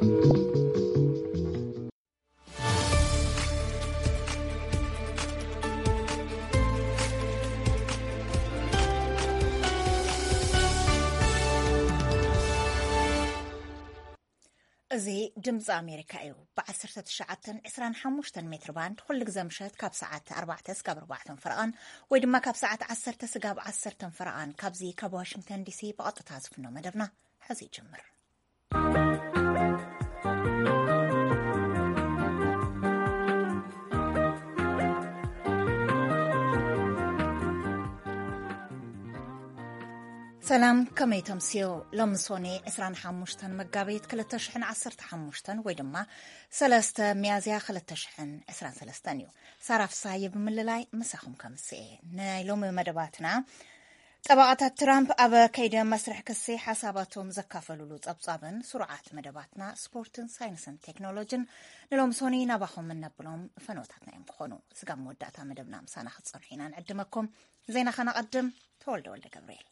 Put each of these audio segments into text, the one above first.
እዚ ድምፂ ኣሜሪካ እዩ። ብ19፣ 25 ሜትር ባንድ ኩሉ ግዜ ምሸት ካብ ሰዓት ኣርባዕተ ስጋብ ኣርባዕተ ፈረቓን ወይ ድማ ካብ ሰዓት ዓሰርተ ስጋብ ዓሰርተ ፈረቓን ካብዚ ካብ ዋሽንግተን ዲሲ ብቐጥታ ዝፍኖ መደብና ሕዚ ይጅምር። ሰላም፣ ከመይ ተምስዮ? ሎሚ ሶኔ ዕስራን ሓሙሽተን መጋቢት ክልተ ሽሕን ዓሰርተ ሓሙሽተን ወይ ድማ ሰለስተ ሚያዝያ ክልተ ሽሕን ዕስራን ሰለስተን እዩ። ሳራ ፍስሃየ ብምልላይ ምሳኹም ከምስኤ። ናይ ሎሚ መደባትና፣ ጠበቓታት ትራምፕ ኣብ ከይዲ መስርሕ ክሲ ሓሳባቶም ዘካፈልሉ ጸብጻብን ስሩዓት መደባትና ስፖርትን ሳይንስን ቴክኖሎጂን ንሎም ሶኒ ናባኹም እነብሎም ፈነወታትና እዮም ክኾኑ። ስጋብ መወዳእታ መደብና ምሳና ክትጸንሑ ኢና ንዕድመኩም። ዜና ከነቐድም፣ ተወልደ ወልደ ገብርኤል።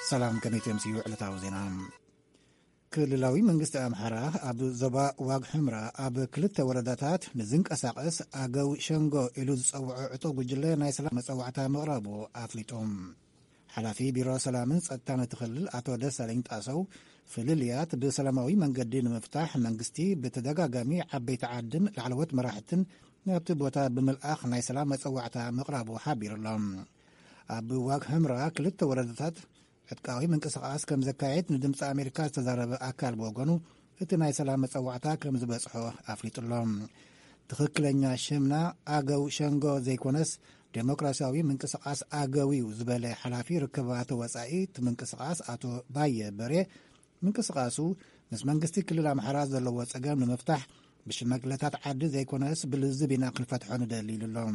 ሰላም፣ ከመይ ተምስዩ ዕለታዊ ዜና። ክልላዊ መንግስቲ ኣምሓራ ኣብ ዞባ ዋግ ሕምራ ኣብ ክልተ ወረዳታት ንዝንቀሳቐስ ኣገው ሸንጎ ኢሉ ዝጸውዖ ዕጡቕ ጉጅለ ናይ ሰላም መጸዋዕታ ምቕራቡ ኣፍሊጡ። ሓላፊ ቢሮ ሰላምን ጸጥታን እቲ ክልል ኣቶ ደሳለኝ ጣሰው፣ ፍልልያት ብሰላማዊ መንገዲ ንምፍታሕ መንግስቲ ብተደጋጋሚ ዓበይቲ ዓድን ላዕለዎት መራሕትን ናብቲ ቦታ ብምልኣኽ ናይ ሰላም መጸዋዕታ ምቕራቡ ሓቢሩ ኣሎ። ኣብ ዋግ ሕምራ ክልተ ወረዳታት ዕጥቃዊ ምንቅስቓስ ከም ዘካየድ ንድምፂ ኣሜሪካ ዝተዛረበ ኣካል ብወገኑ፣ እቲ ናይ ሰላም መጸዋዕታ ከም ዝበጽሖ ኣፍሊጡ ኣሎ። ትኽክለኛ ሽምና ኣገው ሸንጎ ዘይኮነስ፣ ዴሞክራሲያዊ ምንቅስቓስ ኣገው እዩ ዝበለ ሓላፊ ርክባት ወጻኢ እቲ ምንቅስቓስ ኣቶ ባየ በሬ፣ ምንቅስቓሱ ምስ መንግስቲ ክልል ኣምሓራ ዘለዎ ጸገም ንምፍታሕ ብሽማግለታት ዓዲ ዘይኮነስ ብልዝብ ኢና ክንፈትሖ ንደሊ ኢሉ ኣሎ።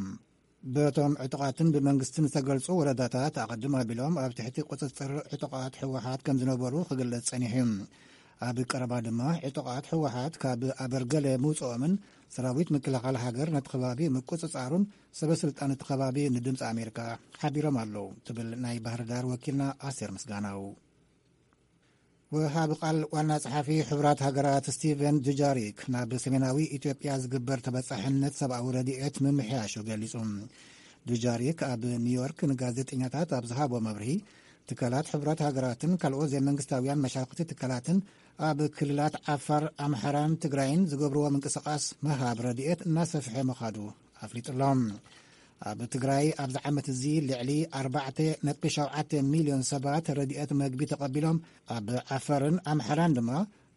በቶም ዕጡቓትን ብመንግስትን ዝተገልጹ ወረዳታት ኣቐድም ኣቢሎም ኣብ ትሕቲ ቁጽጽር ዕጡቓት ህወሓት ከም ዝነበሩ ክግለጽ ጸኒሑ እዩ። ኣብ ቀረባ ድማ ዕጡቓት ህወሓት ካብ ኣበርገለ ምውጽኦምን ሰራዊት ምክልኻል ሃገር ነቲ ከባቢ ምቁጽጻሩን ሰበ ስልጣን እቲ ከባቢ ንድምፂ ኣሜሪካ ሓቢሮም ኣለዉ ትብል ናይ ባህር ዳር ወኪልና ኣስቴር ምስጋናው። ወሃቢ ቃል ዋና ጸሓፊ ሕቡራት ሃገራት ስቲቨን ዱጃሪክ ናብ ሰሜናዊ ኢትዮጵያ ዝግበር ተበጻሕነት ሰብኣዊ ረድኤት ምምሕያሹ ገሊጹ። ዱጃሪክ ኣብ ኒውዮርክ ንጋዜጠኛታት ኣብ ዝሃቦ መብርሂ፣ ትካላት ሕቡራት ሃገራትን ካልኦት ዘይመንግስታውያን መሻርክቲ ትካላትን ኣብ ክልላት ዓፋር፣ ኣምሓራን ትግራይን ዝገብርዎ ምንቅስቓስ ምሃብ ረድኤት እናሰፍሐ ምዃዱ ኣፍሊጡ ኣሎ። ኣብ ትግራይ ኣብዚ ዓመት እዚ ልዕሊ ኣርባዕተ ነጥቢ ሸውዓተ ሚልዮን ሰባት ረድኤት መግቢ ተቐቢሎም፣ ኣብ ዓፋርን ኣምሓራን ድማ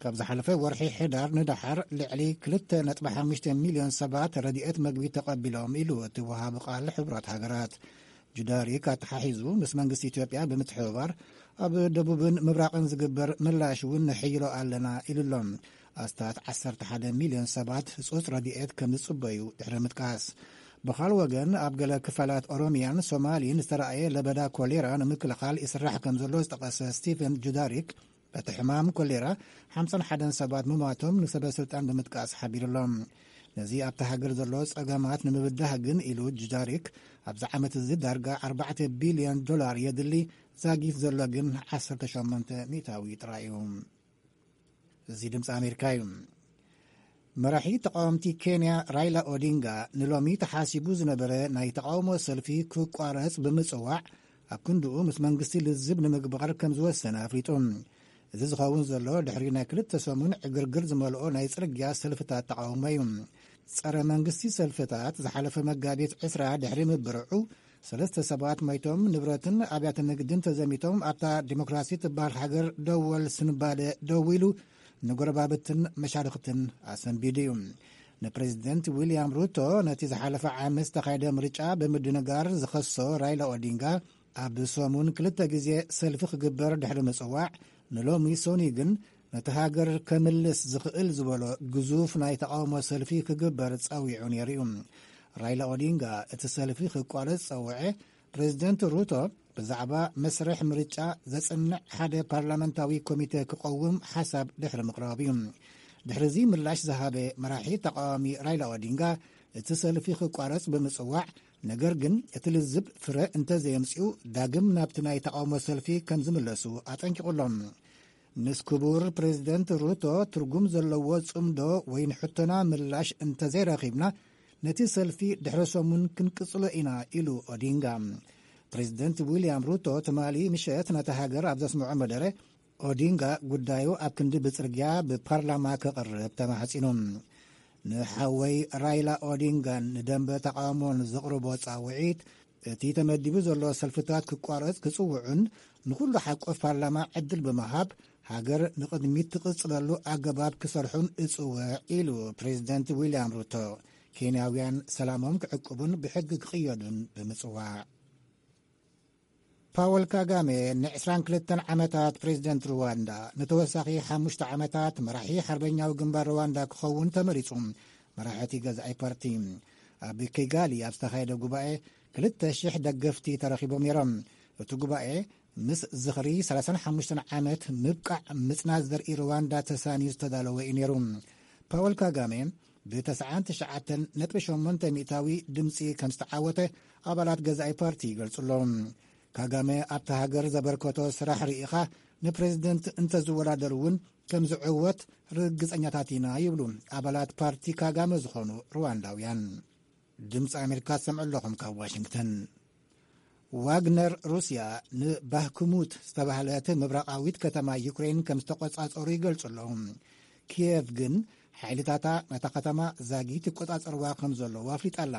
ካብ ዝሓለፈ ወርሒ ሕዳር ንደሓር ልዕሊ ክልተ ነጥቢ ሓሙሽተ ሚልዮን ሰባት ረድኤት መግቢ ተቐቢሎም ኢሉ እቲ ወሃቢ ቃል ሕቡራት ሃገራት። ጁዳሪክ ኣተሓሒዙ ምስ መንግስቲ ኢትዮጵያ ብምትሕብባር ኣብ ደቡብን ምብራቕን ዝግበር ምላሽ እውን ንሕይሎ ኣለና ኢሉ ኣሎ። ኣስታት ዓሰርተ ሓደ ሚልዮን ሰባት ህጹጽ ረድኤት ከም ዝጽበዩ ድሕሪ ምጥቃስ፣ ብኻል ወገን ኣብ ገለ ክፋላት ኦሮሚያን ሶማሊን ዝተራእየ ለበዳ ኮሌራ ንምክልኻል ይስራሕ ከም ዘሎ ዝጠቐሰ ስቲፈን ጁዳሪክ፣ በቲ ሕማም ኮሌራ ሓምሳን ሓደን ሰባት ምሟቶም ንሰበ ስልጣን ብምጥቃስ ሓቢሩ ኣሎ። ነዚ ኣብቲ ሃገር ዘሎ ጸገማት ንምብዳህ ግን ኢሉ ጁዳሪክ፣ ኣብዚ ዓመት እዚ ዳርጋ ኣርባዕተ ቢልዮን ዶላር የድሊ፣ ዛጊት ዘሎ ግን ዓሰርተ ሸሞንተ ሚእታዊ ጥራይ እዩ። እዚ ድምፂ ኣሜሪካ እዩ። መራሒ ተቃወምቲ ኬንያ ራይላ ኦዲንጋ ንሎሚ ተሓሲቡ ዝነበረ ናይ ተቃውሞ ሰልፊ ክቋረጽ ብምጽዋዕ፣ ኣብ ክንድኡ ምስ መንግስቲ ልዝብ ንምግባር ከም ዝወሰነ ኣፍሊጡ። እዚ ዝኸውን ዘሎ ድሕሪ ናይ ክልተ ሰሙን ዕግርግር ዝመልኦ ናይ ጽርግያ ሰልፍታት ተቃውሞ እዩ። ጸረ መንግስቲ ሰልፍታት ዝሓለፈ መጋቢት ዕስራ ድሕሪ ምብርዑ፣ ሰለስተ ሰባት ሞይቶም፣ ንብረትን ኣብያተ ንግድን ተዘሚቶም፣ ኣብታ ዲሞክራሲ ትበሃል ሃገር ደወል ስንባደ ደው ኢሉ፣ ንጎረባብትን መሻርኽትን ኣሰንቢዱ እዩ። ንፕሬዚደንት ዊልያም ሩቶ ነቲ ዝሓለፈ ዓመት ዝተኻየደ ምርጫ ብምድንጋር ዝኸሶ ራይላ ኦዲንጋ፣ ኣብ ሰሙን ክልተ ግዜ ሰልፊ ክግበር ድሕሪ ምጽዋዕ፣ ንሎሚ ሶኒ ግን ነቲ ሃገር ከምልስ ዝኽእል ዝበሎ ግዙፍ ናይ ተቃውሞ ሰልፊ ክግበር ጸዊዑ ነይሩ እዩ። ራይላ ኦዲንጋ እቲ ሰልፊ ክቋረጽ ጸውዐ፣ ፕሬዚደንት ሩቶ ብዛዕባ መስርሕ ምርጫ ዘጽንዕ ሓደ ፓርላመንታዊ ኮሚተ ክቐውም ሓሳብ ድሕሪ ምቕራቡ እዩ። ድሕሪ እዚ ምላሽ ዝሃበ መራሒ ተቃዋሚ ራይላ ኦዲንጋ፣ እቲ ሰልፊ ክቋረጽ ብምጽዋዕ፣ ነገር ግን እቲ ልዝብ ፍረ እንተዘየምጽኡ ዳግም ናብቲ ናይ ተቓውሞ ሰልፊ ከም ዝምለሱ ኣጠንቂቑሎም። ምስ ክቡር ፕሬዚደንት ሩቶ ትርጉም ዘለዎ ጽምዶ ወይ ንሕቶና ምላሽ እንተዘይረኺብና ነቲ ሰልፊ ድሕሪ ሰሙን ክንቅጽሎ ኢና ኢሉ ኦዲንጋ። ፕሬዚደንት ዊልያም ሩቶ ትማሊ ምሸት ነታ ሃገር ኣብ ዘስምዖ መደረ ኦዲንጋ ጉዳዩ ኣብ ክንዲ ብጽርግያ ብፓርላማ ከቕርብ ተማሕጺኑ። ንሓወይ ራይላ ኦዲንጋን ንደንበ ተቓውሞን ዘቕርቦ ጻውዒት እቲ ተመዲቡ ዘሎ ሰልፍታት ክቋረጽ ክጽውዑን ንኹሉ ሓቆፍ ፓርላማ ዕድል ብምሃብ ሃገር ንቕድሚት ትቕጽለሉ ኣገባብ ክሰርሑን እጽውዕ ኢሉ ፕሬዚደንት ዊልያም ሩቶ ኬንያውያን ሰላሞም ክዕቅቡን ብሕጊ ክቕየዱን ብምጽዋዕ። ፓወል ካጋሜ ን22 ዓመታት ፕሬዚደንት ሩዋንዳ ንተወሳኺ ሓሙሽተ ዓመታት መራሒ ሓርበኛዊ ግንባር ሩዋንዳ ክኸውን ተመሪጹ። መራሕቲ ገዛኢ ፓርቲ ኣብ ኪጋሊ ኣብ ዝተኻየደ ጉባኤ ክልተ ሽሕ ደገፍቲ ተረኺቦም ነይሮም። እቲ ጉባኤ ምስ ዝኽሪ ሰላሳን ሓሙሽተን ዓመት ምብቃዕ ምጽናት ዘርኢ ሩዋንዳ ተሳንዩ ዝተዳለወ እዩ ነይሩ። ፓወል ካጋሜ ብ99.8% ድምጺ ከም ዝተዓወተ ኣባላት ገዛኢ ፓርቲ ይገልጹ ኣለዉ። ካጋሜ ኣብታ ሃገር ዘበርከቶ ስራሕ ርኢኻ ንፕሬዚደንት እንተዝወዳደር እውን ከም ዝዕወት ርግጸኛታት ኢና ይብሉ ኣባላት ፓርቲ ካጋሜ ዝኾኑ ሩዋንዳውያን። ድምፂ ኣሜሪካ ትሰምዑ ኣለኹም ካብ ዋሽንግተን። ዋግነር ሩስያ ንባህክሙት ዝተባህለት ምብራቓዊት ከተማ ዩክሬን ከም ዝተቆጻጸሩ ይገልጹ ኣለዉ። ኪየቭ ግን ሓይልታታ ነታ ከተማ ዛጊት ይቆጻጸርዋ ከም ዘለዉ ኣፍሊጣ ኣላ።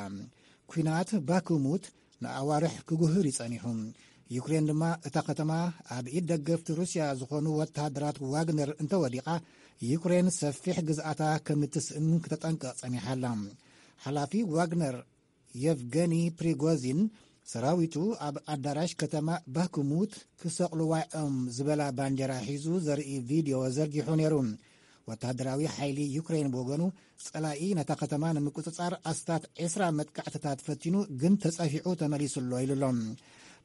ኲናት ባክሙት ንኣዋርሕ ክጉህር እዩ ጸኒሑ። ዩክሬን ድማ እታ ከተማ ኣብ ኢድ ደገፍቲ ሩስያ ዝኾኑ ወተሃደራት ዋግነር እንተወዲቓ ዩክሬን ሰፊሕ ግዝኣታ ከም እትስእን ክተጠንቅቕ ጸኒሓ ኣላ። ሓላፊ ዋግነር የቭገኒ ፕሪጎዚን ሰራዊቱ ኣብ ኣዳራሽ ከተማ ባክሙት ክሰቕልዋ እዮም ዝበላ ባንዴራ ሒዙ ዘርኢ ቪድዮ ዘርጊሑ ነይሩ። ወተሃደራዊ ሓይሊ ዩክሬን ብወገኑ ጸላኢ ነታ ከተማ ንምቁጽጻር ኣስታት ዕስራ መጥቃዕትታት ፈቲኑ ግን ተጸፊዑ ተመሊሱ ኣሎ ኢሉ ኣሎ።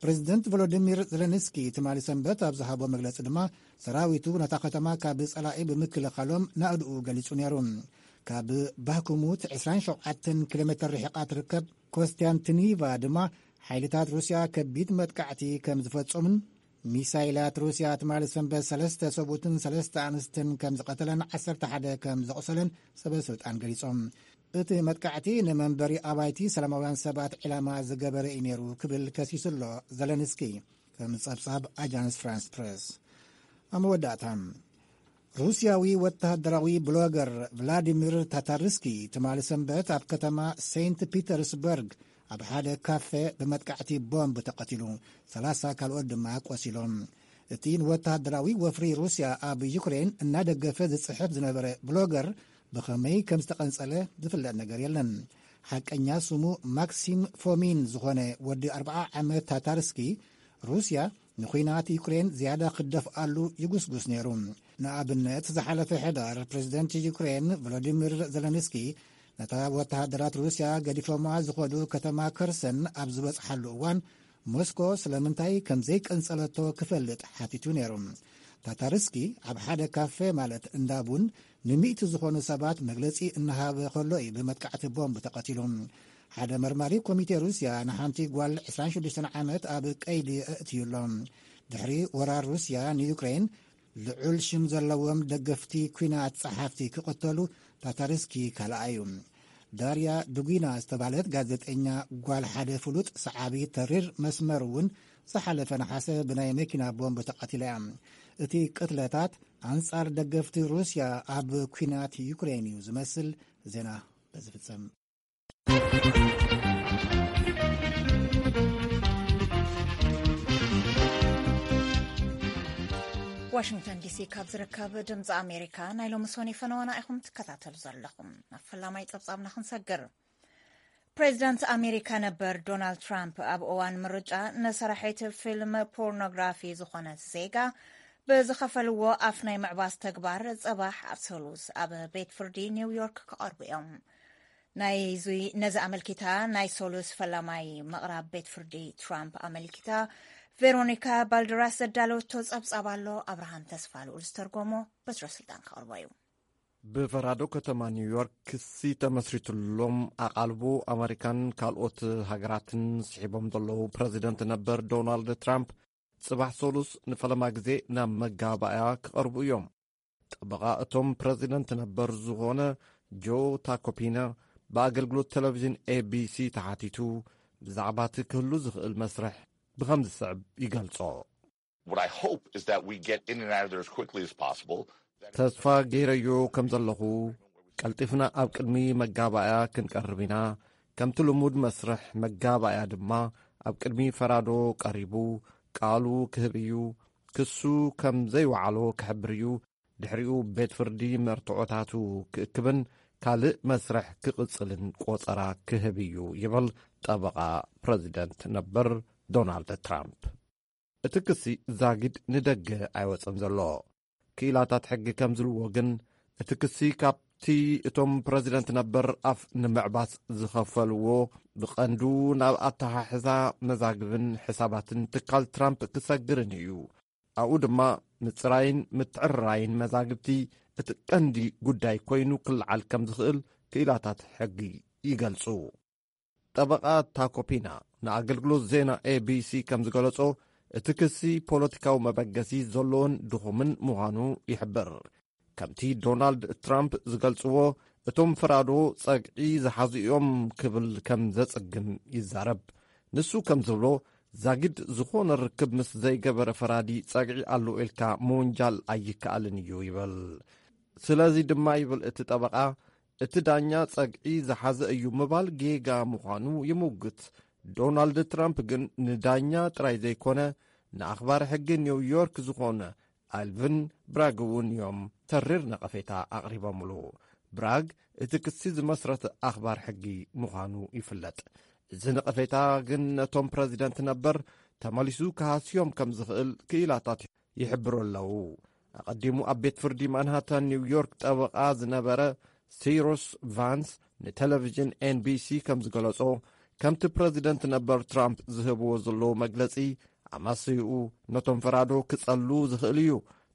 ፕሬዚደንት ቮሎዲሚር ዘለንስኪ ትማሊ ሰንበት ኣብ ዝሃቦ መግለጺ ድማ ሰራዊቱ ነታ ከተማ ካብ ጸላኢ ብምክልኻሎም ናእድኡ ገሊጹ ነይሩ። ካብ ባክሙት ዕስራን ሸውዓተን ኪሎ ሜትር ርሒቓ ትርከብ ኮስቲያንቲኒቫ ድማ ሓይልታት ሩስያ ከቢድ መጥቃዕቲ ከም ዝፈጸሙን ሚሳይላት ሩስያ ትማሊ ሰንበት ሰለስተ ሰብኡትን ሰለስተ ኣንስትን ከም ዝቐተለን ዓሰርተ ሓደ ከም ዘቑሰለን ሰበ ስልጣን ገሊጾም። እቲ መጥቃዕቲ ንመንበሪ ኣባይቲ ሰላማውያን ሰባት ዕላማ ዝገበረ እዩ ነይሩ ክብል ከሲሱ ኣሎ ዘለንስኪ፣ ከም ጸብጻብ ኣጃንስ ፍራንስ ፕረስ። ኣብ መወዳእታ ሩስያዊ ወተሃደራዊ ብሎገር ቭላዲሚር ታታርስኪ ትማሊ ሰንበት ኣብ ከተማ ሴንት ፒተርስበርግ ኣብ ሓደ ካፌ ብመጥቃዕቲ ቦምብ ተቐቲሉ፣ ሰላሳ ካልኦት ድማ ቆሲሎም። እቲ ንወተሃደራዊ ወፍሪ ሩስያ ኣብ ዩክሬን እናደገፈ ዝጽሕፍ ዝነበረ ብሎገር ብኸመይ ከም ዝተቐንጸለ ዝፍለጥ ነገር የለን። ሓቀኛ ስሙ ማክሲም ፎሚን ዝኾነ ወዲ ኣርብዓ ዓመት ታታርስኪ ሩስያ ንኹናት ዩክሬን ዝያዳ ክደፍኣሉ ይጉስጉስ ነይሩ። ንኣብነት ዝሓለፈ ሕዳር ፕሬዚደንት ዩክሬን ቮሎዲሚር ዘለንስኪ ነታ ወተሃደራት ሩስያ ገዲፎማ ዝኸዱ ከተማ ከርሰን ኣብ ዝበጽሓሉ እዋን ሞስኮ ስለምንታይ ከም ዘይቀንጸለቶ ክፈልጥ ሓቲቱ ነይሩ። ታታርስኪ ኣብ ሓደ ካፌ ማለት እንዳ ቡን ንሚእቲ ዝኾኑ ሰባት መግለጺ እናሃበ ከሎ እዩ ብመጥቃዕቲ ቦምብ ተቐቲሉ። ሓደ መርማሪ ኮሚቴ ሩስያ ንሓንቲ ጓል ዕስራን ሽዱሽተን ዓመት ኣብ ቀይዲ ኣእትዩ ኣሎ። ድሕሪ ወራር ሩስያ ንዩክሬን ልዑል ሽም ዘለዎም ደገፍቲ ኲናት ጸሓፍቲ ክቕተሉ ታታርስኪ ካልኣዩ። ዳርያ ዱጊና ዝተባህለት ጋዜጠኛ ጓል ሓደ ፍሉጥ ሰዓቢ ተሪር መስመር እውን ዝሓለፈ ነሓሰ ብናይ መኪና ቦምብ ተቐቲላ እያ። እቲ ቅትለታት ኣንጻር ደገፍቲ ሩስያ ኣብ ኲናት ዩክሬን እዩ ዝመስል። ዜና በዝፍጸም። ዋሽንግተን ዲሲ ካብ ዝርከብ ድምፂ ኣሜሪካ ናይ ሎሚ ሶኒ ፈነወና ኢኹም ትከታተሉ ዘለኹም። ናብ ፈላማይ ጸብጻብና ክንሰግር። ፕሬዚዳንት ኣሜሪካ ነበር ዶናልድ ትራምፕ ኣብ እዋን ምርጫ ንሰራሒት ፊልም ፖርኖግራፊ ዝኾነት ዜጋ ብዝኸፈልዎ ኣፍ ናይ ምዕባስ ተግባር ጽባሕ ኣብ ሰሉስ ኣብ ቤት ፍርዲ ኒውዮርክ ክቐርቡ እዮም። ናይዙይ ነዚ ኣመልኪታ ናይ ሰሉስ ፈላማይ ምቕራብ ቤት ፍርዲ ትራምፕ ኣመልኪታ ቬሮኒካ ባልደራስ ዘዳለወቶ ጸብጻብ ኣሎ። ኣብርሃም ተስፋ ልኡል ዝተርጎሞ በትረ ስልጣን ክቐርቦ እዩ። ብፈራዶ ከተማ ኒውዮርክ ክሲ ተመስሪትሎም ኣቓልቦ ኣመሪካን ካልኦት ሃገራትን ስሒቦም ዘለዉ ፕረዚደንት ነበር ዶናልድ ትራምፕ፣ ጽባሕ ሰሉስ ንፈለማ ግዜ ናብ መጋባእያ ክቐርቡ እዮም። ጠበቓ እቶም ፕረዚደንት ነበር ዝኾነ ጆ ታኮፒና ብኣገልግሎት ቴሌቪዥን ኤቢሲ ተሓቲቱ፣ ብዛዕባ እቲ ክህሉ ዝኽእል መስርሕ ብኸም ዝስዕብ ይገልጾ። What I hope is that we get in and out of there as quickly as possible. ተስፋ ገይረዮ ከም ዘለኹ፣ ቀልጢፍና ኣብ ቅድሚ መጋባእያ ክንቀርብ ኢና። ከምቲ ልሙድ መስርሕ መጋባእያ ድማ፣ ኣብ ቅድሚ ፈራዶ ቀሪቡ ቃሉ ክህብ እዩ። ክሱ ከም ዘይወዓሎ ክሕብር እዩ። ድሕሪኡ ቤት ፍርዲ መርትዖታቱ ክእክብን ካልእ መስርሕ ክቕጽልን ቆጸራ ክህብ እዩ፣ ይብል ጠበቓ ፕረዚደንት ነበር ዶናልድ ትራምፕ። እቲ ክሲ ዛጊድ ንደገ ኣይወጸን ዘሎ። ክኢላታት ሕጊ ከም ዝብልዎ ግን፣ እቲ ክሲ ካብቲ እቶም ፕረዚደንት ነበር ኣፍ ንምዕባስ ዝኸፈልዎ፣ ብቐንዱ ናብ ኣተሓሕዛ መዛግብን ሕሳባትን ትካል ትራምፕ ክሰግርን እዩ። ኣብኡ ድማ ምጽራይን ምትዕርራይን መዛግብቲ እቲ ቀንዲ ጉዳይ ኮይኑ ክለዓል ከም ዝኽእል ክኢላታት ሕጊ ይገልጹ። ጠበቓ ታኮፒና ንኣገልግሎት ዜና ኤቢሲ ከም ዝገለጾ፣ እቲ ክሲ ፖለቲካዊ መበገሲ ዘለዎን ድኹምን ምዃኑ ይሕብር። ከምቲ ዶናልድ ትራምፕ ዝገልጽዎ፣ እቶም ፈራዶ ጸግዒ ዝሓዙ እዮም ክብል ከም ዘጽግም ይዛረብ። ንሱ ከም ዝብሎ፣ ዛጊድ ዝኾነ ርክብ ምስ ዘይገበረ ፈራዲ ጸግዒ ኣሎ ኢልካ ምውንጃል ኣይከኣልን እዩ ይብል። ስለዚ ድማ ይብል እቲ ጠበቓ፣ እቲ ዳኛ ጸግዒ ዝሓዘ እዩ ምባል ጌጋ ምዃኑ ይምውግት። ዶናልድ ትራምፕ ግን ንዳኛ ጥራይ ዘይኮነ፣ ንኣኽባሪ ሕጊ ኒውዮርክ ዝኾነ ኣልቪን ብራግ እውን እዮም ተሪር ነቐፌታ ኣቕሪቦምሉ። ብራግ እቲ ክሲ ዝመስረት ኣኽባር ሕጊ ምዃኑ ይፍለጥ። እዚ ነቐፌታ ግን ነቶም ፕረዚደንት ነበር ተመሊሱ ክሃስዮም ከም ዝኽእል ክኢላታት ይሕብሩ ኣለዉ። ኣቐዲሙ ኣብ ቤት ፍርዲ ማንሃታን ኒውዮርክ ጠበቓ ዝነበረ ሲሩስ ቫንስ ንቴሌቪዥን ኤንቢሲ ከም ዝገለጾ፣ ከምቲ ፕረዚደንት ነበር ትራምፕ ዝህብዎ ዘለዉ መግለጺ ኣማስይኡ ነቶም ፈራዶ ክጸሉ ዝኽእል እዩ።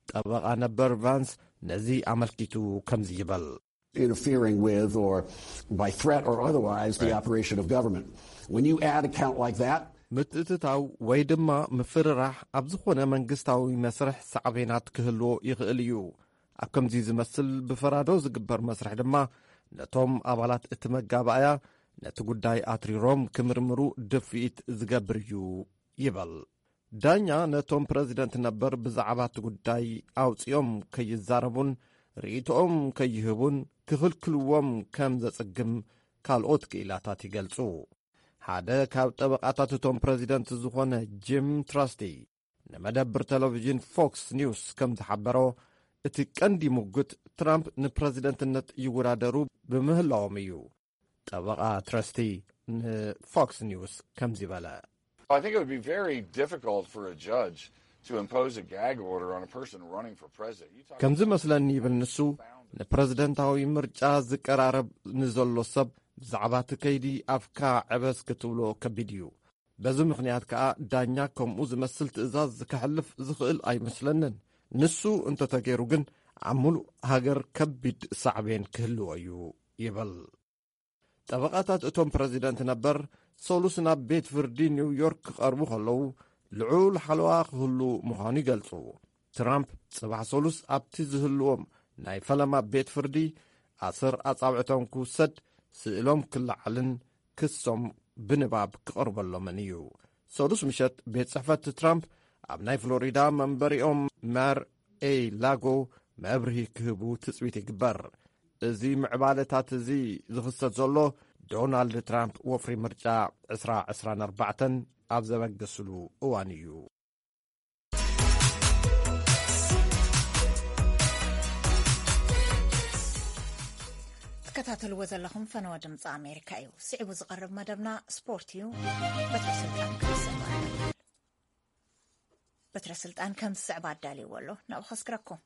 ጠበቓ ነበር ቫንስ ነዚ ኣመልኪቱ ከምዚ ይብል። Interfering with or by threat or otherwise the operation of government. When you add a count like that, ምትእትታው ወይ ድማ ምፍርራሕ ኣብ ዝኾነ መንግስታዊ መስርሕ ሳዕቤናት ክህልዎ ይኽእል እዩ። ኣብ ከምዚ ዝመስል ብፈራዶ ዝግበር መስርሕ ድማ ነቶም ኣባላት እቲ መጋባእያ ነቲ ጉዳይ ኣትሪሮም ክምርምሩ ድፍኢት ዝገብር እዩ ይብል። ዳኛ ነቶም ፕረዚደንት ነበር ብዛዕባ እቲ ጉዳይ ኣውጺኦም ከይዛረቡን ርእይቶኦም ከይህቡን ክኽልክልዎም ከም ዘጽግም ካልኦት ክኢላታት ይገልጹ። ሓደ ካብ ጠበቓታት እቶም ፕረዚደንት ዝኾነ ጂም ትራስቲ ንመደብር ቴሌቪዥን ፎክስ ኒውስ ከም ዝሓበሮ፣ እቲ ቀንዲ ምጉት ትራምፕ ንፕረዚደንትነት ይወዳደሩ ብምህላዎም እዩ። ጠበቓ ትረስቲ ንፎክስ ኒውስ ከምዚ በለ። I think it would be very difficult for a judge to impose a gag order on a person running for president. You talk ከምዚ መስለኒ ይብል ንሱ፣ ንፕረዚደንታዊ ምርጫ ዝቀራረብ ንዘሎ ሰብ ብዛዕባ እቲ ከይዲ ኣፍካ ዕበስ ክትብሎ ከቢድ እዩ። በዚ ምኽንያት ከኣ ዳኛ ከምኡ ዝመስል ትእዛዝ ከሕልፍ ዝኽእል ኣይመስለንን። ንሱ እንተተገይሩ ግን ኣብ ምሉእ ሃገር ከቢድ ሳዕቤን ክህልዎ እዩ ይብል። ጠበቓታት እቶም ፕረዚደንት ነበር ሰሉስ ናብ ቤት ፍርዲ ኒውዮርክ ክቐርቡ ከለዉ ልዑል ሓለዋ ክህሉ ምዃኑ ይገልጹ። ትራምፕ ጽባሕ ሰሉስ ኣብቲ ዝህልዎም ናይ ፈለማ ቤት ፍርዲ ኣሰር ኣጻብዕቶም ክውሰድ፣ ስእሎም ክለዓልን ክሶም ብንባብ ክቐርበሎምን እዩ። ሰሉስ ምሸት ቤት ጽሕፈት ትራምፕ ኣብ ናይ ፍሎሪዳ መንበሪኦም ማር ኤ ላጎ መብርሂ ክህቡ ትጽቢት ይግበር። እዚ ምዕባለታት እዚ ዝኽሰት ዘሎ ዶናልድ ትራምፕ ወፍሪ ምርጫ ዕስራ ዕስራን ኣርባዕተን ኣብ ዘበገስሉ እዋን እዩ። ትከታተልዎ ዘለኹም ፈነወ ድምፂ ኣሜሪካ እዩ። ስዒቡ ዝቐርብ መደብና ስፖርት እዩ። በትረ ስልጣን ክስማዕ በትረ ስልጣን ከም ዝስዕብ ኣዳልይዎ ኣሎ። ናብኡ ከስክረኩም።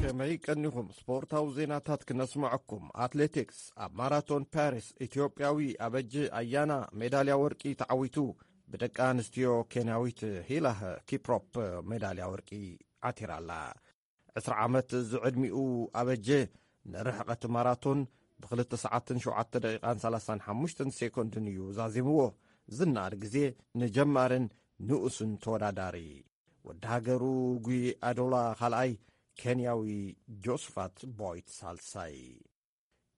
ከመይ ቀኒኹም? ስፖርታዊ ዜናታት ክነስምዐኩም። ኣትሌቲክስ፣ ኣብ ማራቶን ፓሪስ ኢትዮጵያዊ ኣበጂ ኣያና ሜዳልያ ወርቂ ተዓዊቱ። ብደቂ ኣንስትዮ ኬንያዊት ሂላህ ኪፕሮፕ ሜዳልያ ወርቂ ዓቲራ ኣላ። ዕስራ ዓመት ዝዕድሚኡ ኣበጀ ንርሕቐት ማራቶን ብ2 ሰዓትን ሸውዓተ ደቂቓን ሰላሳን ሓሙሽተን ሴኮንድን እዩ ዛዚምዎ። ዝነኣድ ግዜ ንጀማርን ንኡስን ተወዳዳሪ። ወዲ ሃገሩ ጉይ ኣዶላ ካልኣይ፣ ኬንያዊ ጆስፋት ቦይት ሳልሳይ።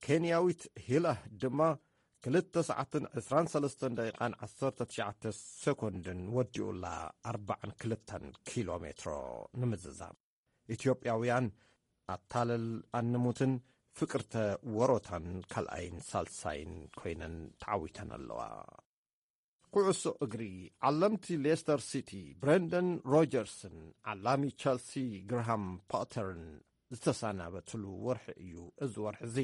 ኬንያዊት ሂላህ ድማ ክልተ ሰዓትን ዕስራን ሰለስተን ደቂቓን ዓሰርተ ትሽዓተ ሰኮንድን ወዲኡላ ኣርባዓን ክልተን ኪሎ ሜትሮ ንምዝዛም። ኢትዮጵያውያን ኣታለል ኣንሙትን ፍቅርተ ወሮታን ካልኣይን ሳልሳይን ኮይነን ተዓዊተን ኣለዋ። ኩዕሶ እግሪ። ዓለምቲ ሌስተር ሲቲ ብረንደን ሮጀርስን ዓላሚ ቸልሲ ግርሃም ፓተርን ዝተሰናበትሉ ወርሒ እዩ እዚ ወርሒ እዚ።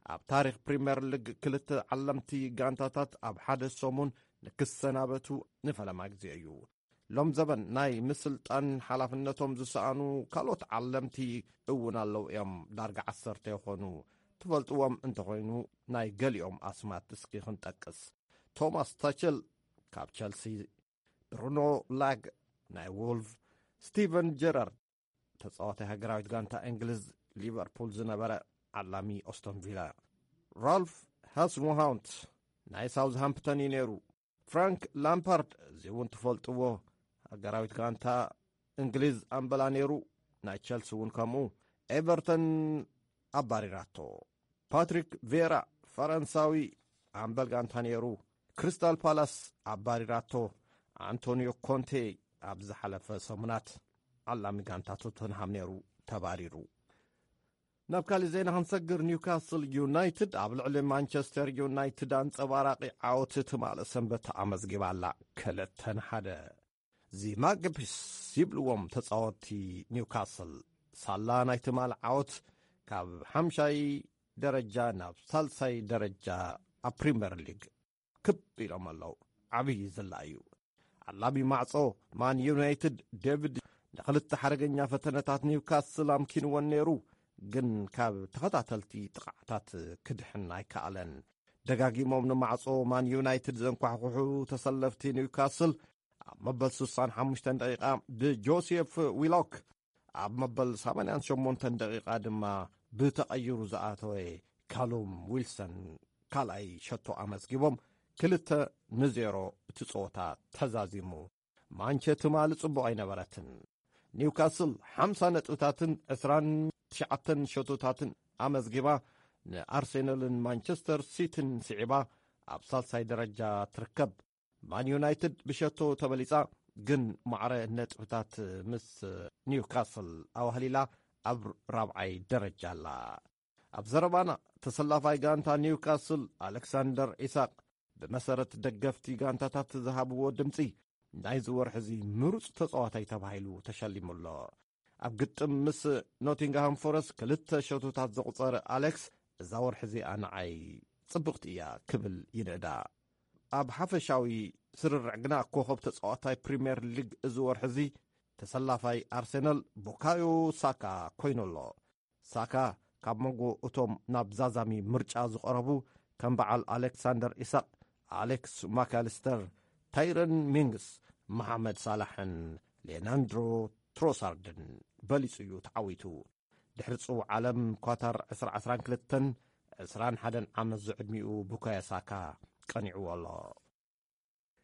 ኣብ ታሪኽ ፕሪምየር ሊግ ክልተ ዓለምቲ ጋንታታት ኣብ ሓደ ሰሙን ንክሰናበቱ ንፈለማ ግዜ እዩ። ሎም ዘበን ናይ ምስልጣን ሓላፍነቶም ዝሰኣኑ ካልኦት ዓለምቲ እውን ኣለዉ እዮም። ዳርጋ ዓሰርተ ይኾኑ። ትፈልጥዎም እንተኾይኑ ናይ ገሊኦም ኣስማት እስኪ ክንጠቅስ። ቶማስ ታቸል ካብ ቸልሲ፣ ብሩኖ ላግ ናይ ዎልቭ፣ ስቲቨን ጀራርድ ተጻዋታይ ሃገራዊት ጋንታ እንግሊዝ ሊቨርፑል ዝነበረ ዓላሚ ኦስቶን ቪላ፣ ራልፍ ሃስንሃውንት ናይ ሳውዝሃምፕተን እዩ ነይሩ። ፍራንክ ላምፓርድ፣ እዚ እውን ትፈልጥዎ፣ ሃገራዊት ጋንታ እንግሊዝ ኣምበላ ነይሩ። ናይ ቸልሲ እውን ከምኡ። ኤቨርተን ኣባሪራቶ። ፓትሪክ ቬራ፣ ፈረንሳዊ ኣምበል ጋንታ ነይሩ። ክሪስታል ፓላስ ኣባሪራቶ። ኣንቶኒዮ ኮንቴ ኣብ ዝሓለፈ ሰሙናት ዓላሚ ጋንታ ቶተንሃም ነይሩ፣ ተባሪሩ። ናብ ካልእ ዜና ክንሰግር፣ ኒውካስል ዩናይትድ ኣብ ልዕሊ ማንቸስተር ዩናይትድ ኣንጸባራቂ ዓወት ትማሊ ሰንበት ኣመዝጊባ ኣላ። ክልተ ንሓደ። ዚ ማግፒስ ይብልዎም ተጻወትቲ ኒውካስል፣ ሳላ ናይ ትማሊ ዓወት ካብ ሓምሻይ ደረጃ ናብ ሳልሳይ ደረጃ ኣብ ፕሪምየር ሊግ ክብ ኢሎም ኣለዉ። ዓብዪ ዝላ እዩ። ዓላሚ ማዕጾ ማን ዩናይትድ ዴቪድ ንኽልተ ሓደገኛ ፈተነታት ኒውካስል ኣምኪንወን ነይሩ፣ ግን ካብ ተኸታተልቲ ጥቕዓታት ክድሕን ኣይከኣለን። ደጋጊሞም ንማዕጾ ማን ዩናይትድ ዘንኳሕኩሑ ተሰለፍቲ ኒውካስል፣ ኣብ መበል ስሳን ሓሙሽተን ደቂቓ ብጆሴፍ ዊሎክ፣ ኣብ መበል ሰማንያን ሸሞንተን ደቂቓ ድማ ብተቐይሩ ዝኣተወ ካሉም ዊልሰን ካልኣይ ሸቶ ኣመዝጊቦም፣ ክልተ ንዜሮ እቲ ጸወታ ተዛዚሙ። ማንቸ ትማሊ ጽቡቕ ኣይነበረትን። ኒውካስል ሓምሳ ነጥብታትን ዕስራን ትሽዓተን ሸቶታትን ኣመዝጊባ፣ ንኣርሴናልን ማንቸስተር ሲቲን ስዒባ ኣብ ሳልሳይ ደረጃ ትርከብ። ማን ዩናይትድ ብሸቶ ተበሊጻ፣ ግን ማዕረ ነጥብታት ምስ ኒውካስል ኣዋህሊላ ኣብ ራብዓይ ደረጃ ኣላ። ኣብ ዘረባና፣ ተሰላፋይ ጋንታ ኒውካስል ኣሌክሳንደር ኢሳቅ፣ ብመሰረት ደገፍቲ ጋንታታት ዝሃብዎ ድምጺ፣ ናይዚ ወርሒ እዚ ምሩጽ ተጻዋታይ ተባሂሉ ተሸሊሙ ኣሎ። ኣብ ግጥም ምስ ኖቲንግሃም ፎረስት ክልተ ሸቶታት ዘቑጸረ ኣሌክስ፣ እዛ ወርሒ እዚኣ ንዓይ ጽብቕቲ እያ ክብል ይንእዳ። ኣብ ሓፈሻዊ ስርርዕ ግና ኮኸብ ተጻዋታይ ፕሪምየር ሊግ እዚ ወርሒ እዚ ተሰላፋይ ኣርሰናል ቡካዮ ሳካ ኮይኑ ኣሎ። ሳካ ካብ መንጎ እቶም ናብ ዛዛሚ ምርጫ ዝቐረቡ ከም በዓል ኣሌክሳንደር ኢሳቅ፣ ኣሌክስ ማካሊስተር፣ ታይረን ሚንግስ፣ መሓመድ ሳላሕን ሌናንድሮ ትሮሳርድን በሊጹ እዩ ተዓዊቱ። ድሕሪ ጽው ዓለም ኳታር ዕስራ ዕስራን ክልተን ዕስራን ሓደን ዓመት ዝዕድሚኡ ቡካዮ ሳካ ቀኒዕዎ ኣሎ።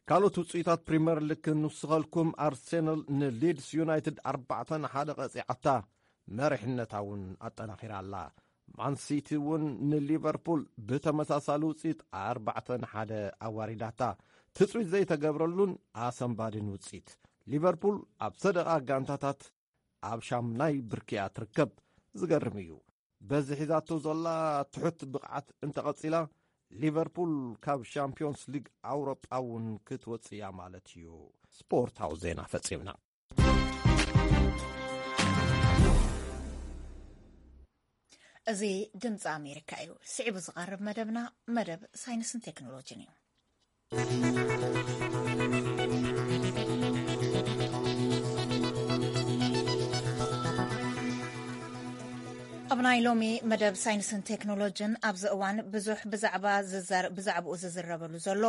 ካልኦት ውጽኢታት ፕሪምየር ሊግ ክንውስኸልኩም፣ ኣርሴናል ንሊድስ ዩናይትድ ኣርባዕተ ንሓደ ቀጺዓታ፣ መሪሕነታ እውን ኣጠናኺራ ኣላ። ማንሲቲ እውን ንሊቨርፑል ብተመሳሳሊ ውጽኢት ኣርባዕተ ንሓደ ኣዋሪዳታ። ትጽቢት ዘይተገብረሉን ኣሰንባድን ውጽኢት። ሊቨርፑል ኣብ ሰደቓ ጋንታታት ኣብ ሻምናይ ብርኪ እያ ትርከብ። ዝገርም እዩ። በዚ ሒዛቶ ዘላ ትሑት ብቕዓት እንተቐጺላ፣ ሊቨርፑል ካብ ሻምፒዮንስ ሊግ ኣውሮጳ እውን ክትወጽእ እያ ማለት እዩ። ስፖርታዊ ዜና ፈጺምና። እዚ ድምፂ ኣሜሪካ እዩ። ስዒቡ ዝቐርብ መደብና መደብ ሳይንስን ቴክኖሎጂን እዩ። ኣብ ናይ ሎሚ መደብ ሳይንስን ቴክኖሎጂን፣ ኣብዚ እዋን ብዙሕ ብዛዕባ ዝዘር-፣ ብዛዕባኡ ዝዝረበሉ ዘሎ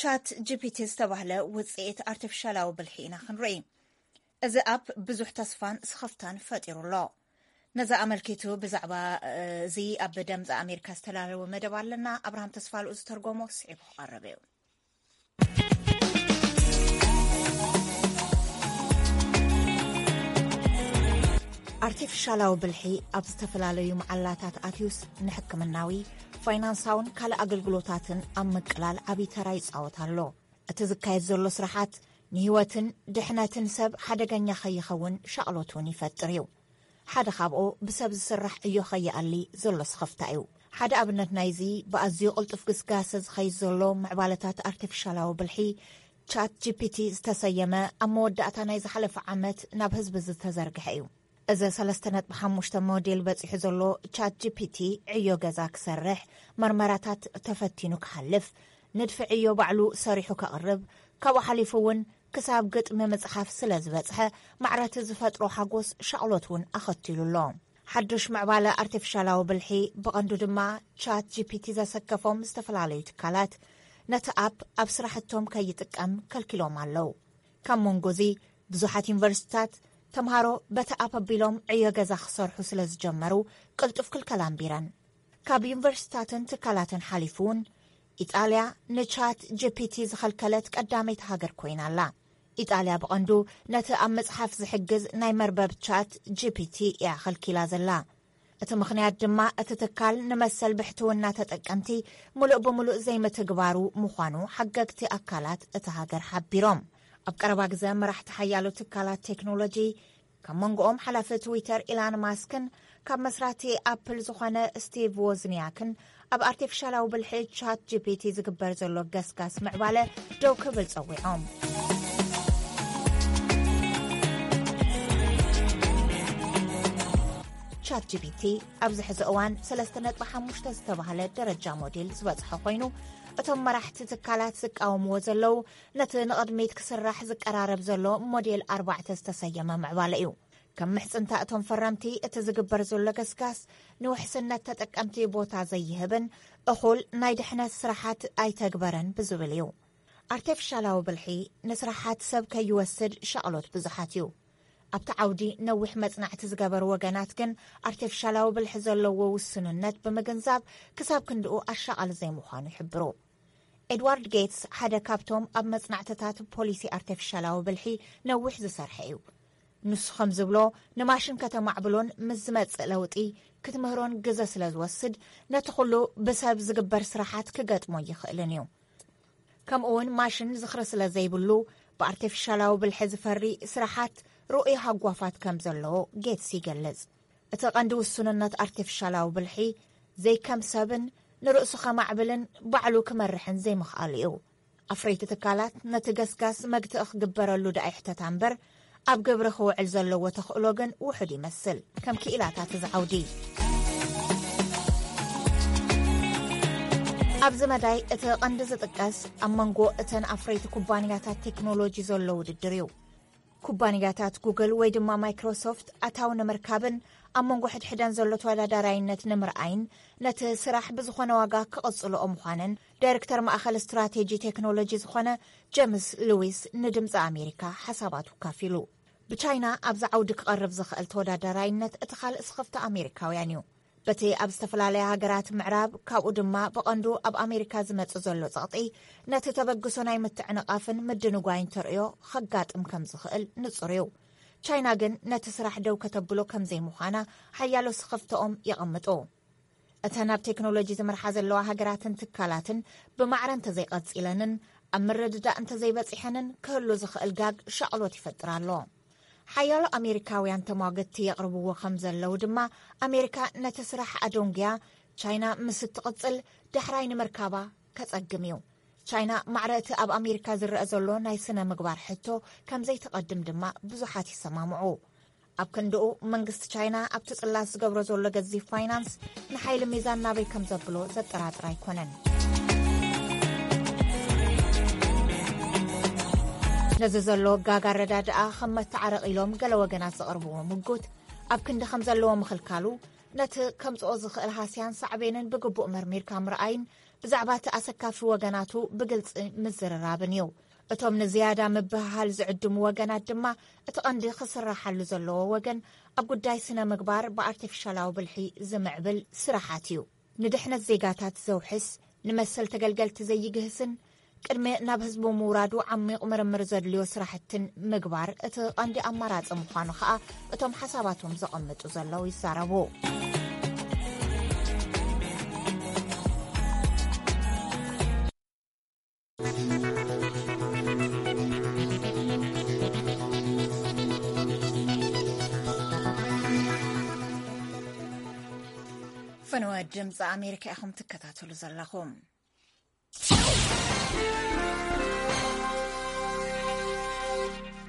ቻት ጂ ፒ ቲ ዝተባህለ ውጽኢት ኣርቲፊሻላዊ ብልሒ ኢና ክንርኢ። እዚ ኣፕ ብዙሕ ተስፋን ስኽፍታን ፈጢሩ ኣሎ። ነዚ ኣመልኪቱ ብዛዕባ እዚ ኣብ ደምፂ ኣሜሪካ ዝተላለወ መደብ ኣለና። ኣብርሃም ተስፋልኡ ዝተርጎሞ ስዒቡ ክቐርብ እዩ። ኣርቲፊሻላዊ ብልሒ ኣብ ዝተፈላለዩ መዓላታት ኣትዩስ ንሕክምናዊ፣ ፋይናንሳውን ካልእ ኣገልግሎታትን ኣብ ምቅላል ዓብዪ ተራ ይጻወት ኣሎ። እቲ ዝካየድ ዘሎ ስራሓት ንህይወትን ድሕነትን ሰብ ሓደገኛ ከይኸውን ሻቕሎት እውን ይፈጥር እዩ። ሓደ ካብኡ ብሰብ ዝስራሕ ዕዮ ከይኣሊ ዘሎ ስኽፍታ እዩ። ሓደ ኣብነት ናይዚ ብኣዝዩ ቅልጡፍ ግስጋሰ ዝኸይድ ዘሎ ምዕባለታት ኣርቲፊሻላዊ ብልሒ ቻት ጂ ፒ ቲ ዝተሰየመ ኣብ መወዳእታ ናይ ዝሓለፈ ዓመት ናብ ህዝቢ ዝተዘርግሐ እዩ። እዚ ሰለስተ ነጥቢ ሓሙሽተ ሞዴል በጺሑ ዘሎ ቻት ጂ ፒ ቲ ዕዮ ገዛ ክሰርሕ፣ መርመራታት ተፈቲኑ ክሓልፍ፣ ንድፊ ዕዮ ባዕሉ ሰሪሑ ከቕርብ፣ ካብኡ ሓሊፉ እውን ክሳብ ግጥሚ ምጽሓፍ ስለ ዝበጽሐ፣ ማዕረቲ ዝፈጥሮ ሓጎስ ሻቕሎት እውን ኣኸቲሉ ኣሎ። ሓዱሽ ምዕባለ ኣርቲፊሻላዊ ብልሒ ብቐንዱ ድማ ቻት ጂ ፒ ቲ ዘሰከፎም ዝተፈላለዩ ትካላት ነቲ ኣፕ ኣብ ስራሕቶም ከይጥቀም ከልኪሎም ኣለዉ። ካብ መንጎ እዚ ብዙሓት ዩኒቨርሲቲታት ተምሃሮ በቲ ኣፕ ኣቢሎም ዕዮ ገዛ ክሰርሑ ስለ ዝጀመሩ ቅልጡፍ ክልከላ ኣንቢረን። ካብ ዩኒቨርሲቲታትን ትካላትን ሓሊፉ እውን ኢጣልያ ንቻት ጂ ፒ ቲ ዝኸልከለት ቀዳመይቲ ሃገር ኮይና ኣላ። ኢጣልያ ብቐንዱ ነቲ ኣብ ምጽሓፍ ዝሕግዝ ናይ መርበብ ቻት ጂ ፒ ቲ እያ ኸልኪላ ዘላ። እቲ ምኽንያት ድማ እቲ ትካል ንመሰል ብሕትውና ተጠቀምቲ ምሉእ ብምሉእ ዘይምትግባሩ ምዃኑ ሓገግቲ ኣካላት እታ ሃገር ሓቢሮም። ኣብ ቀረባ ግዘ መራሕቲ ሓያሎ ትካላት ቴክኖሎጂ፣ ካብ መንጎኦም ሓላፊ ትዊተር ኢላን ማስክን ካብ መስራቲ ኣፕል ዝኾነ ስቲቭ ዎዝኒያክን ኣብ ኣርቲፊሻላዊ ብልሒ ቻት ጂ ፒ ቲ ዝግበር ዘሎ ገስጋስ ምዕባለ ደው ክብል ጸዊዖም። ቻት ጂ ፒ ቲ ኣብዚ ሕዚ እዋን ሰለስተ ነጥቢ ሓሙሽተ ዝተባህለ ደረጃ ሞዴል ዝበጽሐ ኮይኑ፣ እቶም መራሕቲ ትካላት ዝቃወምዎ ዘለዉ ነቲ ንቕድሚት ክስራሕ ዝቀራረብ ዘሎ ሞዴል ኣርባዕተ ዝተሰየመ ምዕባለ እዩ። ከም ምሕጽንታ እቶም ፈረምቲ፣ እቲ ዝግበር ዘሎ ገስጋስ ንውሕስነት ተጠቀምቲ ቦታ ዘይህብን እኹል ናይ ድሕነት ስራሓት ኣይተግበረን ብዝብል እዩ። ኣርቲፊሻላዊ ብልሒ ንስራሓት ሰብ ከይወስድ ሻቕሎት ብዙሓት እዩ። ኣብቲ ዓውዲ ነዊሕ መጽናዕቲ ዝገበሩ ወገናት ግን ኣርቲፊሻላዊ ብልሒ ዘለዎ ውስንነት ብምግንዛብ ክሳብ ክንድኡ ኣሻቓሊ ዘይምዃኑ ይሕብሩ። ኤድዋርድ ጌትስ ሓደ ካብቶም ኣብ መጽናዕትታት ፖሊሲ ኣርቲፊሻላዊ ብልሒ ነዊሕ ዝሰርሐ እዩ። ንሱ ከም ዝብሎ፣ ንማሽን ከተማዕብሎን ምስ ዝመጽእ ለውጢ ክትምህሮን ግዘ ስለ ዝወስድ፣ ነቲ ኩሉ ብሰብ ዝግበር ስራሓት ክገጥሞ ይኽእልን እዩ። ከምኡ እውን ማሽን ዝኽሪ ስለ ዘይብሉ፣ ብኣርቲፊሻላዊ ብልሒ ዝፈሪ ስራሓት ርኡይ ሃጓፋት ከም ዘለዎ ጌትስ ይገልጽ። እቲ ቀንዲ ውሱንነት ኣርቲፊሻላዊ ብልሒ ዘይከም ሰብን ንርእሱ ከማዕብልን ባዕሉ ክመርሕን ዘይምኽኣሉ እዩ። ኣፍረይቲ ትካላት ነቲ ገስጋስ መግትኢ ክግበረሉ ደኣ ይሕተታ እምበር፣ ኣብ ግብሪ ክውዕል ዘለዎ ተኽእሎ ግን ውሑድ ይመስል። ከም ክኢላታት እዚ ዓውዲ ኣብዚ መዳይ እቲ ቀንዲ ዝጥቀስ ኣብ መንጎ እተን ኣፍረይቲ ኩባንያታት ቴክኖሎጂ ዘሎ ውድድር እዩ። ኩባንያታት ጉግል ወይ ድማ ማይክሮሶፍት ኣታዊ ንምርካብን ኣብ መንጎ ሕድሕደን ዘሎ ተወዳዳራይነት ንምርኣይን ነቲ ስራሕ ብዝኾነ ዋጋ ክቕጽልኦ ምዃነን ዳይሬክተር ማእኸል ስትራቴጂ ቴክኖሎጂ ዝኾነ ጀምስ ሉዊስ ንድምፂ ኣሜሪካ ሓሳባቱ ካፊሉ። ብቻይና ኣብዚ ዓውዲ ክቐርብ ዝኽእል ተወዳዳራይነት እቲ ካልእ ስኽፍቲ ኣሜሪካውያን እዩ። በቲ ኣብ ዝተፈላለያ ሃገራት ምዕራብ፣ ካብኡ ድማ ብቐንዱ ኣብ ኣሜሪካ ዝመጽእ ዘሎ ጸቕጢ፣ ነቲ ተበግሶ ናይ ምትዕንቓፍን ምድንጓይን ተርእዮ ኸጋጥም ከም ዝኽእል ንጹር እዩ። ቻይና ግን ነቲ ስራሕ ደው ከተብሎ ከም ዘይምዃና ሓያሎ ስኽፍተኦም የቐምጡ። እተን ኣብ ቴክኖሎጂ ዝመርሓ ዘለዋ ሃገራትን ትካላትን ብማዕረ እንተዘይቐጺለንን ኣብ ምርድዳእ እንተዘይበጺሐንን ክህሉ ዝኽእል ጋግ ሻቕሎት ይፈጥር ኣሎ። ሓያሎ ኣሜሪካውያን ተሟገትቲ የቕርብዎ ከም ዘለዉ ድማ፣ ኣሜሪካ ነቲ ስራሕ ኣደንጉያ ቻይና ምስ እትቕጽል ዳሕራይ ንምርካባ ከጸግም እዩ። ቻይና ማዕረ እቲ ኣብ ኣሜሪካ ዝረአ ዘሎ ናይ ስነ ምግባር ሕቶ ከም ዘይትቐድም ድማ ብዙሓት ይሰማምዑ። ኣብ ክንድኡ መንግስቲ ቻይና ኣብቲ ጽላት ዝገብሮ ዘሎ ገዚፍ ፋይናንስ ንሓይሊ ሚዛን ናበይ ከም ዘብሎ ዘጠራጥር ኣይኮነን። ነዚ ዘሎ ጋግ ኣረዳድኣ ከም መተዓረቒ ኢሎም ገለ ወገናት ዘቕርብዎ ምጉት፣ ኣብ ክንዲ ከም ዘለዎ ምኽልካሉ፣ ነቲ ከምጽኦ ዝኽእል ሃስያን ሳዕቤንን ብግቡእ መርሚርካ ምርኣይን ብዛዕባ እቲ ኣሰካፊ ወገናቱ ብግልጺ ምዝርራብን እዩ። እቶም ንዝያዳ ምብህሃል ዝዕድሙ ወገናት ድማ፣ እቲ ቀንዲ ክስራሓሉ ዘለዎ ወገን ኣብ ጉዳይ ስነ ምግባር ብኣርቲፊሻላዊ ብልሒ ዝምዕብል ስራሓት እዩ። ንድሕነት ዜጋታት ዘውሕስ፣ ንመሰል ተገልገልቲ ዘይግህስን ቅድሚ ናብ ህዝቡ ምውራዱ ዓሚቕ ምርምር ዘድልዮ ስራሕትን ምግባር እቲ ቀንዲ ኣማራጺ ምዃኑ ከኣ እቶም ሓሳባቶም ዘቐምጡ ዘለዉ ይዛረቡ። ፈነወ ድምፂ ኣሜሪካ ኢኹም ትከታተሉ ዘለኹም።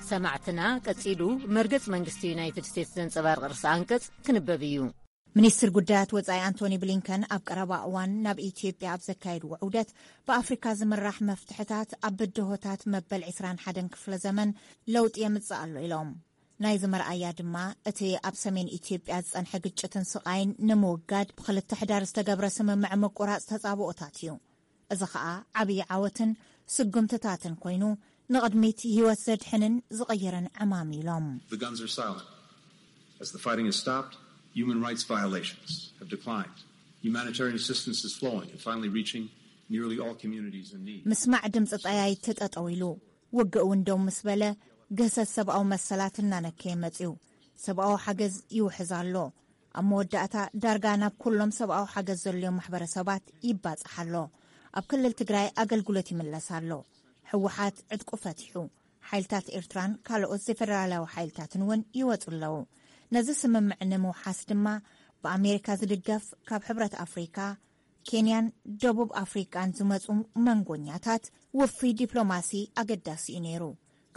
ሰማዕትና፣ ቀጺሉ መርገጽ መንግስቲ ዩናይትድ ስቴትስ ዘንጸባርቕ ርእሰ ኣንቀጽ ክንበብ እዩ። ሚኒስትር ጉዳያት ወጻኢ ኣንቶኒ ብሊንከን ኣብ ቀረባ እዋን ናብ ኢትዮጵያ ኣብ ዘካየድዎ ዑደት፣ ብኣፍሪካ ዝምራሕ መፍትሕታት ኣብ ብድሆታት መበል ዕስራን ሓደን ክፍለ ዘመን ለውጢ የምጽእ ኣሎ ኢሎም። ናይዚ መርኣያ ድማ እቲ ኣብ ሰሜን ኢትዮጵያ ዝጸንሐ ግጭትን ስቓይን ንምውጋድ ብኽልተ ሕዳር ዝተገብረ ስምምዕ ምቁራጽ ተጻብኦታት እዩ። እዚ ኸኣ ዓብዪ ዓወትን ስጉምትታትን ኮይኑ፣ ንቕድሚት ህይወት ዘድሕንን ዝቕይርን ዕማም ኢሎም። The guns are silent. As the fighting has stopped, human rights violations have declined. Humanitarian assistance is flowing and finally reaching nearly all communities in need. ምስማዕ ድምፂ ጠያይቲ ጠጠው ኢሉ፣ ውግእ እውን ደው ምስ በለ፣ ግህሰት ሰብኣዊ መሰላት እናነከየ መፅዩ። ሰብኣዊ ሓገዝ ይውሕዝ ኣሎ። ኣብ መወዳእታ ዳርጋ ናብ ኩሎም ሰብኣዊ ሓገዝ ዘድልዮም ማሕበረሰባት ይባጻሕ ኣሎ። ኣብ ክልል ትግራይ ኣገልግሎት ይምለስ ኣሎ። ህወሓት ዕጥቁ ፈቲሑ። ሓይልታት ኤርትራን ካልኦት ዘይፈደራላዊ ሓይልታትን እውን ይወጹ ኣለዉ። ነዚ ስምምዕ ንምውሓስ ድማ ብኣሜሪካ ዝድገፍ ካብ ሕብረት ኣፍሪካ፣ ኬንያን ደቡብ ኣፍሪቃን ዝመጹ መንጎኛታት ውፉይ ዲፕሎማሲ ኣገዳሲ እዩ ነይሩ።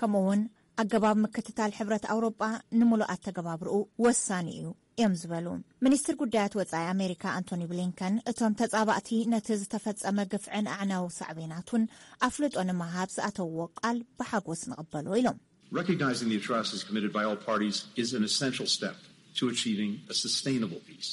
ከምኡ እውን ኣገባብ ምክትታል ሕብረት ኣውሮጳ ንምሉእ ኣተገባብርኡ ወሳኒ እዩ እዮም ዝበሉ። ሚኒስትር ጉዳያት ወጻኢ ኣሜሪካ ኣንቶኒ ብሊንከን፣ እቶም ተጻባእቲ ነቲ ዝተፈጸመ ግፍዕን ኣዕናዊ ሳዕቤናቱን ኣፍልጦ ንምሃብ ዝኣተውዎ ቃል ብሓጎስ ንቕበሎ ኢሎም። Recognizing the atrocities committed by all parties is an essential step to achieving a sustainable peace.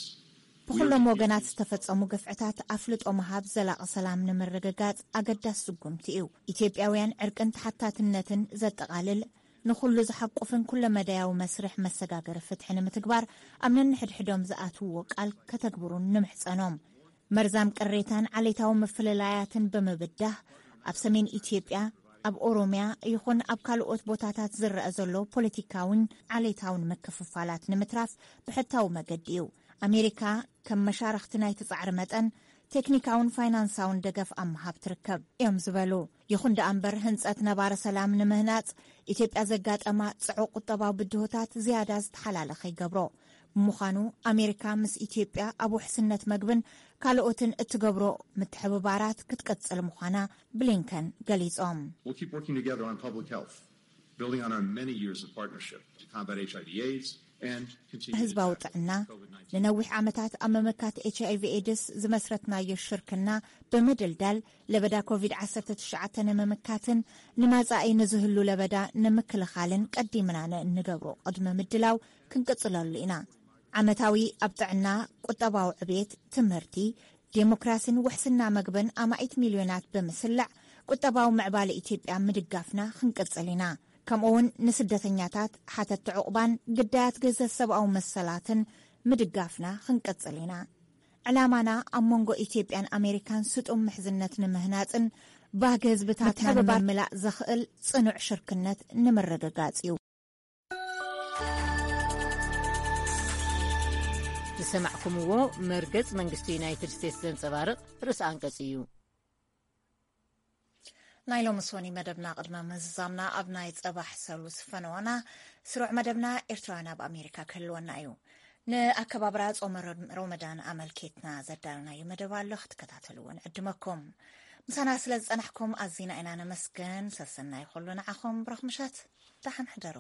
ብኹሎም ወገናት ዝተፈጸሙ ግፍዕታት ኣፍልጦ ምሃብ ዘላቒ ሰላም ንምርግጋጽ ኣገዳሲ ስጉምቲ እዩ። ኢትዮጵያውያን ዕርቅን ተሓታትነትን ዘጠቓልል፣ ንኹሉ ዝሓቁፍን ኩለመዳያዊ መስርሕ መሰጋገሪ ፍትሒ ንምትግባር ኣብ ነንሕድሕዶም ዝኣትውዎ ቃል ከተግብሩን ንምሕጸኖም። መርዛም ቅሬታን ዓሌታዊ ምፍልላያትን ብምብዳህ፣ ኣብ ሰሜን ኢትዮጵያ፣ ኣብ ኦሮምያ ይኹን ኣብ ካልኦት ቦታታት ዝረኣ ዘሎ ፖለቲካውን ዓሌታውን ምክፍፋላት ንምትራፍ ብሕታዊ መገዲ እዩ። ኣሜሪካ ከም መሻርኽቲ ናይቲ ጻዕሪ መጠን ቴክኒካውን ፋይናንሳውን ደገፍ ኣብ ምሃብ ትርከብ እዮም ዝበሉ። ይኹን ደኣ እምበር፣ ህንጸት ነባሪ ሰላም ንምህናጽ ኢትዮጵያ ዘጋጠማ ጽዑቕ ቁጠባዊ ብድሆታት ዝያዳ ዝተሓላለኸ ይገብሮ። ብምዃኑ፣ ኣሜሪካ ምስ ኢትዮጵያ ኣብ ውሕስነት መግብን ካልኦትን እትገብሮ ምትሕብባራት ክትቅጽል ምዃና ብሊንከን ገሊጾም። We'll keep working together on public health, building on our many years of partnership to combat H I V AIDS and continue to ህዝባዊ tackle ጥዕና፣ COVID nineteen። ንነዊሕ ዓመታት ኣብ ምምካት ኤች ኣይ ቪ ኤድስ ዝመስረትናዮ ሽርክና ብምድልዳል፣ ለበዳ ኮቪድ ዓሰርተ ትሽዓተ ንምምካትን ንመጻኢ ንዝህሉ ለበዳ ንምክልኻልን ቀዲምና ንእንገብሮ ቅድመ ምድላው ክንቅጽለሉ ኢና። ዓመታዊ ኣብ ጥዕና፣ ቁጠባዊ ዕቤት፣ ትምህርቲ፣ ዴሞክራሲን ውሕስና መግብን ኣማኢት ሚልዮናት ብምስላዕ፣ ቁጠባዊ ምዕባለ ኢትዮጵያ ምድጋፍና ክንቅጽል ኢና። ከምኡውን ንስደተኛታት፣ ሓተትቲ ዕቑባን ግዳያት ግህሰት ሰብኣዊ መሰላትን ምድጋፍና ክንቅጽል ኢና። ዕላማና ኣብ መንጎ ኢትዮጵያን ኣሜሪካን ስጡም ምሕዝነት ንምህናጽን ባህጊ ህዝብታትና ምትሕብባር ንምምላእ ዘኽእል ጽኑዕ ሽርክነት ንምርግጋጽ እዩ። ዝሰማዕኩምዎ መርገጽ መንግስቲ ዩናይትድ ስቴትስ ዘንጸባርቕ ርእሰ ኣንቀጽ እዩ። ናይ ሎሚ ሶኒ መደብና ቅድመ ምዝዛምና ኣብ ናይ ጸባሕ ሰሉስ ፈነወና። ስሩዕ መደብና ኤርትራውያን ኣብ ኣሜሪካ ክህልወና እዩ። ንኣከባብራ ጾመ ረ-፣ ሮመዳን ኣመልኪትና ዘዳለናዮ መደብ ኣሎ፣ ክትከታተልዎ ንዕድመኩም። ምሳና ስለ ዝጸናሕኩም ኣዚና ኢና ነመስግን። ሰሰናይ ኩሉ ንዓኹም። ብሩኽ ምሸት። ደሓን ሕደሩ።